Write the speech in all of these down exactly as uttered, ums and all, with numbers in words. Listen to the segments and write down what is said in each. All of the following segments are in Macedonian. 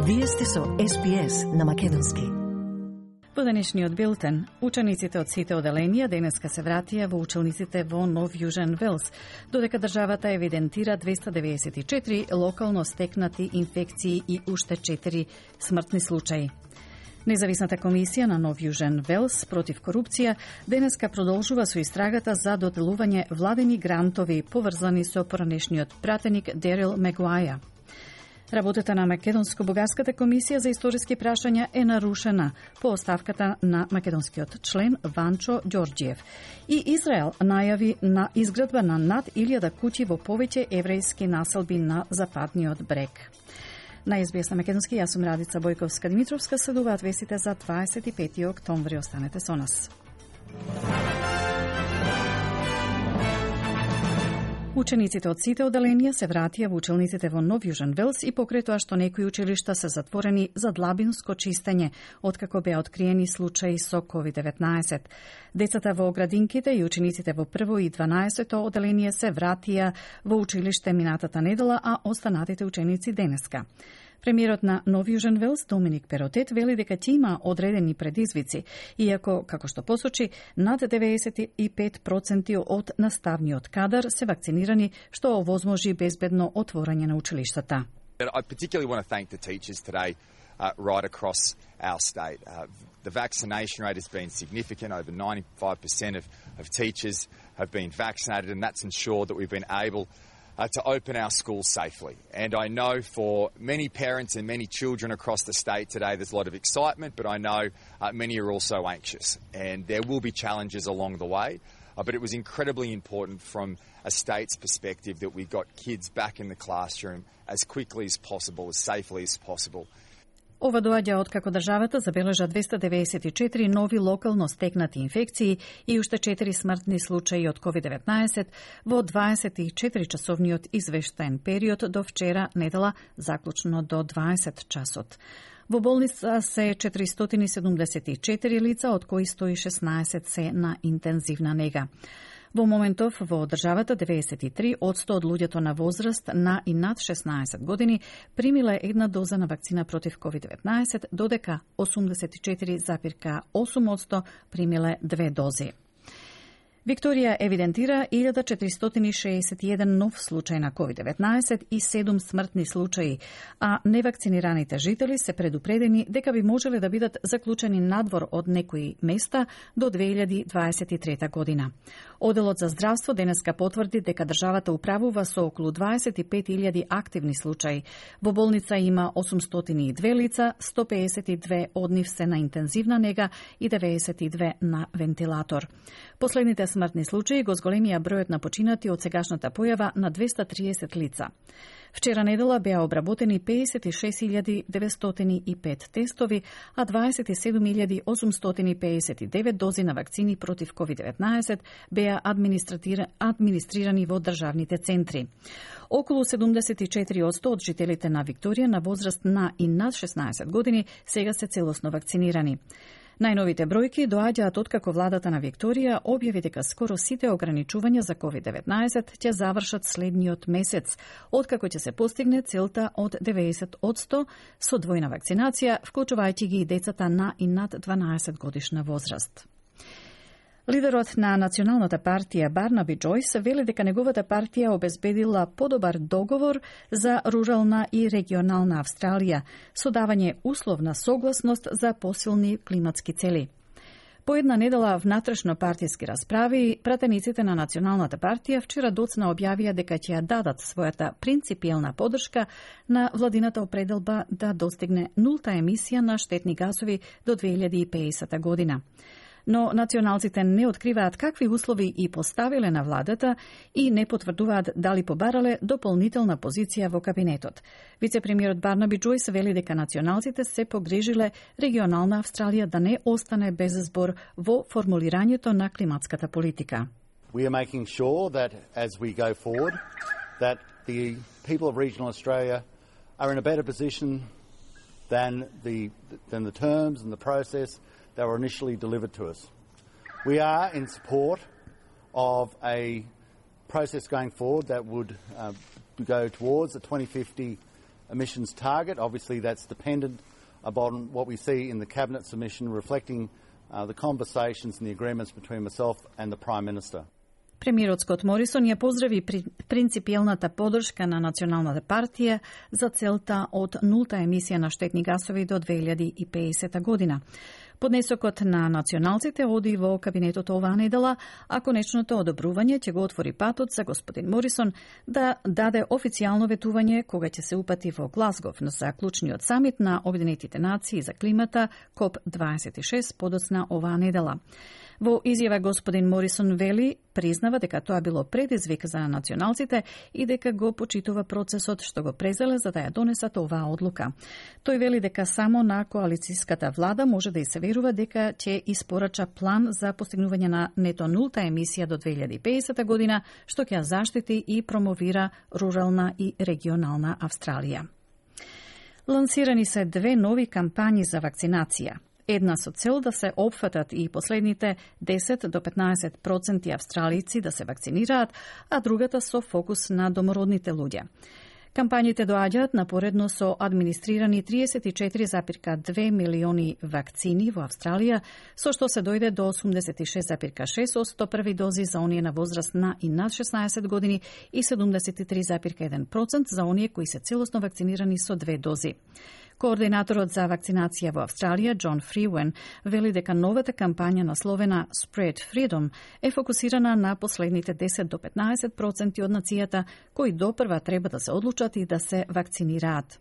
Вие сте со Ес Би Ес на македонски. Во денешниот билтен, учениците од сите оделенија денеска се вратија во училниците во Нов Јужен Велс, додека државата евидентира двеста деветдесет и четири локално стекнати инфекции и уште четири смртни случаи. Независната комисија на Нов Јужен Велс против корупција денеска продолжува со истрагата за доделување владени грантови поврзани со поранешниот пратеник Дерил Мегуаја. Работата на Македонско-бугарската комисија за историски прашања е нарушена по оставката на македонскиот член Ванчо Ѓорѓиев. И Израел најави на изградба на над илјада куќи во повеќе еврејски населби на западниот брег. На Ес Би Ес на македонски, јас сум Радица Бојковска-Димитровска, следуваат вестите за дваесет и пети октомври. Останете со нас. Учениците од сите оделенија се вратија во училниците во Нов Јужен Велс и покрај тоа што некои училишта се затворени за длабинско чистење, откако беа откриени случаи со ковид деветнаесет. Децата во градинките и учениците во прво и дванаесето оделение се вратија во училиште минатата недела, а останатите ученици денеска. Премиерот на Нов Јужен Велс, Доминик Перотет, вели дека ќе има одредени предизвици, иако, како што посочи, над деветдесет и пет проценти од наставниот кадар се вакцинирани, што овозможи безбедно отворање на училиштата. I particularly want to thank the teachers today uh, right across our state. Uh, the vaccination rate has been significant. Over ninety-five percent of, of teachers have been vaccinated, and that's ensured that we've been able Uh, to open our schools safely. And I know for many parents and many children across the state today there's a lot of excitement, but I know uh, many are also anxious. And there will be challenges along the way, uh, but it was incredibly important from a state's perspective that we got kids back in the classroom as quickly as possible, as safely as possible. Ова доаѓа откако државата забележа двеста деветдесет и четири нови локално стекнати инфекции и уште четири смртни случаи од ковид деветнаесет во дваесет и четири часовниот извештаен период до вчера недела, заклучно до дваесет часот. Во болница се четиристотини и седумдесет и четири лица, од кои сто и шеснаесет се на интензивна нега. Во моментов во државата деветдесет и три од сто од луѓето на возраст на и над шеснаесет години примиле една доза на вакцина против ковид деветнаесет, додека осумдесет и четири запирка осум одсто примиле две дози. Викторија евидентира илјада четиристотини шеесет и еден нов случај на ковид деветнаесет и седум смртни случаи, а невакцинираните жители се предупредени дека би можеле да бидат заклучени надвор од некои места до две илјади дваесет и трета година. Оделот за здравство денеска потврди дека државата управува со околу дваесет и пет илјади активни случаи. Во болница има осумстотини и две лица, сто пеесет и две од нив се на интензивна нега и деветдесет и две на вентилатор. Последните смртни случаи го зголемија бројот на починати од сегашната појава на двеста триесет лица. Вчера недела беа обработени пеесет и шест илјади деветстотини и пет тестови, а дваесет и седум илјади осумстотини пеесет и девет дози на вакцини против ковид деветнаесет беа администрирани во државните центри. Околу седумдесет и четири одсто од жителите на Викторија на возраст на и над шеснаесет години сега се целосно вакцинирани. Најновите бројки доаѓаат откако владата на Викторија објави дека скоро сите ограничувања за ковид деветнаесет ќе завршат следниот месец, откако ќе се постигне целта од деветдесет одсто со двојна вакцинација, вклучувајќи ги и децата на и над дванаесет годишна возраст. Лидерот на Националната партија Барнаби Џојс вели дека неговата партија обезбедила подобар договор за рурална и регионална Австралија, со давање условна согласност за посилни климатски цели. По една недела внатрешно партиски расправи, пратениците на Националната партија вчера доцна објавија дека ќе ја дадат својата принципиелна поддршка на владината определба да достигне нулта емисија на штетни газови до две илјади и пеесета година. Но националците не откриваат какви услови и поставиле на владата и не потврдуваат дали побарале дополнителна позиција во кабинетот. Вице-премиерот Барнаби Џојс вели дека националците се погрижиле регионална Австралија да не остане без збор во формулирањето на климатската политика. We are making sure that as we go forward that the people of regional Australia are in a better position than the than the terms and the process that were initially delivered to us. We are in support of a process going forward that would uh, go towards the twenty fifty emissions target. Obviously, that's dependent upon what we see in the Cabinet submission reflecting uh, the conversations and the agreements between myself and the Prime Minister. Премиерот Скот Морисон ја поздрави принципиелната подршка на Националната партија за целта од нулта емисија на штетни гасови до две илјади и педесета година. Поднесокот на националците оди во кабинетот оваа недела, а конечното одобрување ќе го отвори патот за господин Морисон да даде официјално ветување кога ќе се упати во Глазгов за клучниот самит на Обединетите нации за климата коп дваесет и шест подоцна оваа недела. Во изјава господин Морисон вели, признава дека тоа било предизвик за националците и дека го почитува процесот што го презеле за да ја донесат оваа одлука. Тој вели дека само на коалицијската влада може да и се верува дека ќе испорача план за постигнување на нето нулта емисија до две илјади и педесета година, што ќе ја заштити и промовира рурална и регионална Австралија. Лансирани се две нови кампањи за вакцинација. Една со цел да се опфатат и последните десет до петнаесет проценти австралици да се вакцинираат, а другата со фокус на домородните луѓе. Кампањите доаѓаат напоредно со администрирани триесет и четири запирка две милиони вакцини во Австралија, со што се дојде до осумдесет и шест запирка шест одсто први дози за оние на возраст на и над шеснаесет години и седумдесет и три запирка еден проценти за оние кои се целосно вакцинирани со две дози. Координаторот за вакцинација во Австралија, Џон Фриуен, вели дека новата кампања насловена Spread Freedom е фокусирана на последните десет до петнаесет проценти од нацијата кои допрва треба да се одлучат и да се вакцинираат.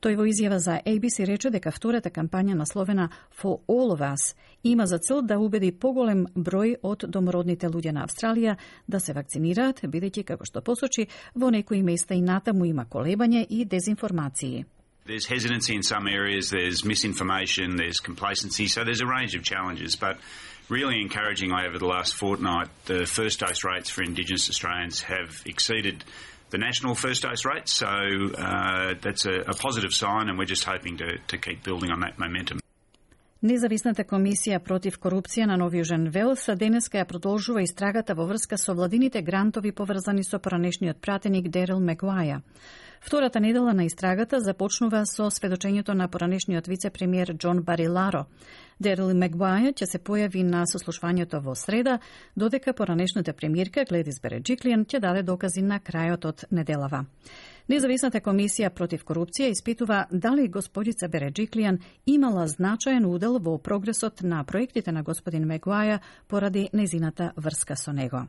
Тој во изјава за A B C рече дека втората кампања насловена For All of Us има за цел да убеди поголем број од домородните луѓе на Австралија да се вакцинираат, бидејќи, како што посочи, во некои места и натаму има колебање и дезинформации. There's hesitancy in some areas, there's misinformation, there's complacency, so there's a range of challenges. But really encouragingly over the last fortnight, the first dose rates for Indigenous Australians have exceeded the national first dose rate, so uh, that's a, a positive sign and we're just hoping to, to keep building on that momentum. Независната комисија против корупција на Нови Јужен Велс денеска ја продолжува истрагата во врска со владините грантови поврзани со поранешниот пратеник Дерил Мегуаја. Втората недела на истрагата започнува со сведочењето на поранешниот вице-премиер Џон Бариларо. Дерил Мегуаја ќе се појави на сослушвањето во среда, додека поранешната премиерка Гледис Береџиклијан ќе даде докази на крајот од неделава. Независната комисија против корупција испитува дали господица Береџиклијан имала значаен удел во прогресот на проектите на господин Мегуаја поради незината врска со него.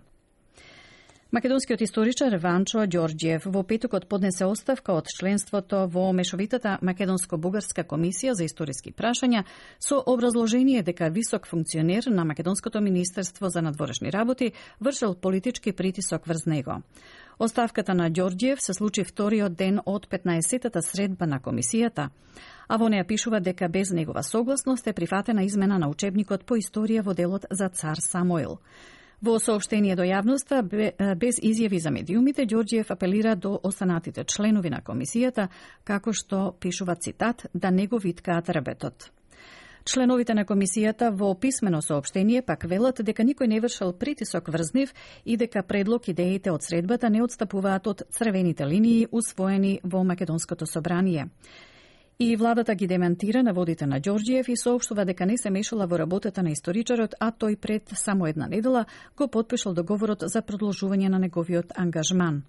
Македонскиот историчар Ванчо Ѓорѓиев во петокот поднесе оставка од членството во мешовитата Македонско-бугарска комисија за историски прашања со образложение дека висок функционер на Македонското министерство за надворешни работи вршел политички притисок врз него. Оставката на Ѓорѓиев се случи вториот ден од петнаесеттата средба на комисијата, а во неја пишува дека без негова согласност е прифатена измена на учебникот по историја во делот за цар Самуил. Во соопштение до јавноста, без изјави за медиумите, Ѓорѓиев апелира до останатите членови на комисијата, како што пишува цитат, да не го виткаат ребетот. Членовите на комисијата во писмено соопштение пак велат дека никој не вршел притисок врз нив и дека предлог идеите од средбата не отстапуваат од црвените линии усвоени во Македонското собрание. И владата ги демантира наводите на Ѓорѓиев и соопштува дека не се мешала во работата на историчарот, а тој пред само една недела го потпишал договорот за продолжување на неговиот ангажман.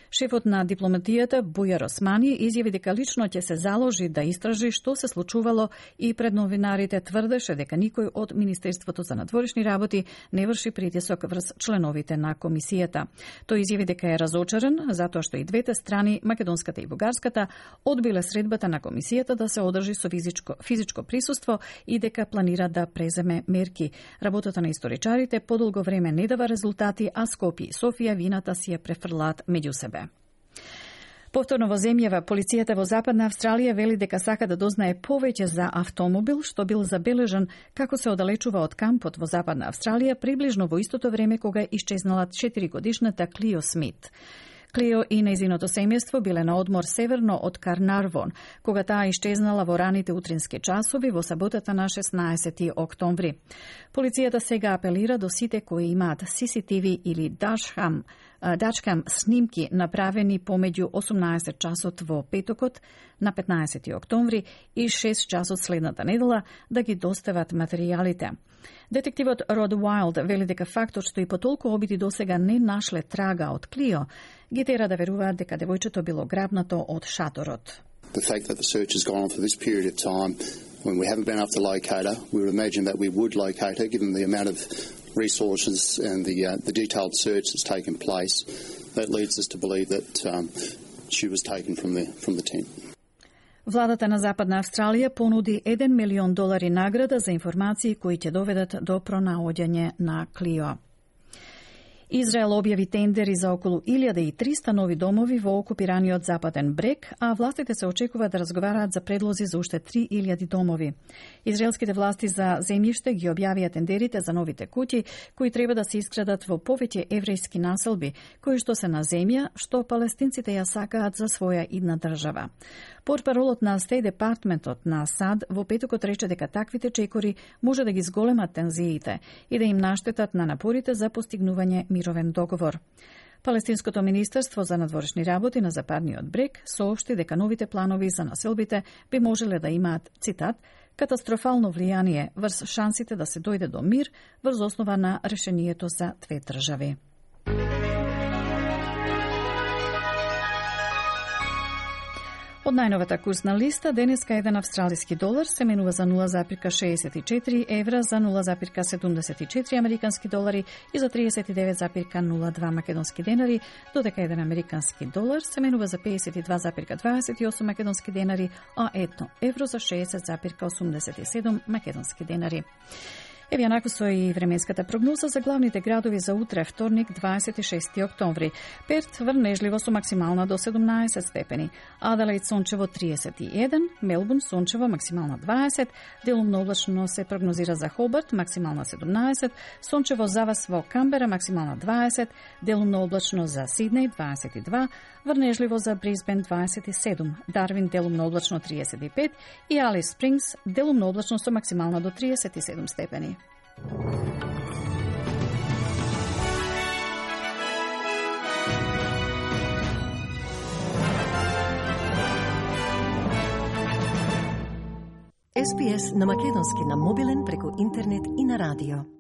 Шефот на дипломатијата Бујар Османи изјави дека лично ќе се заложи да истражи што се случувало и пред новинарите тврдеше дека никој од Министерството за надворешни работи не врши притисок врз членовите на комисијата. Тој изјави дека е разочаран затоа што и двете страни, македонската и бугарската, одбиле средбата на комисијата да се одржи со физичко, физичко присуство и дека планира да преземе мерки. Работата на историчарите подолго време не дава резултати, а Скопје и Софија вината си ја префрлаат меѓу себе. Повторно во земјава, полицијата во Западна Австралија вели дека сака да дознае повеќе за автомобил што бил забележан како се оддалечува од кампот во Западна Австралија приближно во истото време кога исчезнала четиригодишната Клио Смит. Клио и нејзиното семејство биле на одмор северно од Карнарвон, кога таа ишчезнала во раните утрински часови во саботата на шеснаесети октомври. Полицијата сега апелира до сите кои имаат Си Си Ти Ви или Дашкам, Дашкам снимки направени помеѓу осумнаесет часот во петокот на петнаесети октомври и шест часот следната недела да ги достават материјалите. Детективот Род Уайлд вели дека фактот што и по толку обиди досега не нашле трага од Клио ги тера да веруваат дека девојчето било грабнато од шаторот. The fact that the search has gone on for this period of time when we haven't been able to locate her, we would imagine that we would locate her given the amount of resources and the uh, the detailed search that's taken place. That leads us to believe that um, she was taken from the from the tent. Владата на Западна Австралија понуди еден милион долари награда за информации кои ќе доведат до пронаоѓање на Клио. Израел објави тендери за околу илјада и триста нови домови во окупираниот Западен брег, а властите се очекува да разговараат за предлози за уште три илјади домови. Израелските власти за земјиште ги објавија тендерите за новите куќи, кои треба да се изградат во повеќе еврејски населби, кои што се на земја што палестинците ја сакаат за своја идна држава. Портпаролот на Стеј департментот на САД во петокот рече дека таквите чекори може да ги зголемат тензиите и да им наштетат на напорите за постигнување мировен договор. Палестинското министерство за надворешни работи на Западниот брег соопшти дека новите планови за населбите би можеле да имаат, цитат, катастрофално влијание врз шансите да се дојде до мир врз основа на решението за две држави. Од најновата курсна листа, денеска еден австралиски долар се менува за нула зарез шеесет и четири евра, за нула зарез седумдесет и четири американски долари и за триесет и девет зарез нула два македонски денари, додека еден американски долар се менува за пеесет и два зарез дваесет и осум македонски денари, а едно евро за шеесет зарез осумдесет и седум македонски денари. Еве јанако со и временската прогноза за главните градови за утре, вторник, дваесет и шести октомври. Перт врнежливо со максимална до седумнаесет степени, Аделаид сончево триесет и еден, Мелбурн сончево максимална дваесет, делумно облачно се прогнозира за Хобарт максимална седумнаесет, сончево завас во Камбера максимална дваесет, делумно облачно за Сиднеј дваесет и два, врнежливо за Брисбен дваесет и седум, Дарвин делумно облачно триесет и пет и Алис Спрингс делумно облачно со максимална до триесет и седум степени. Ес Би Ес на македонски на мобилен преку интернет и на радио.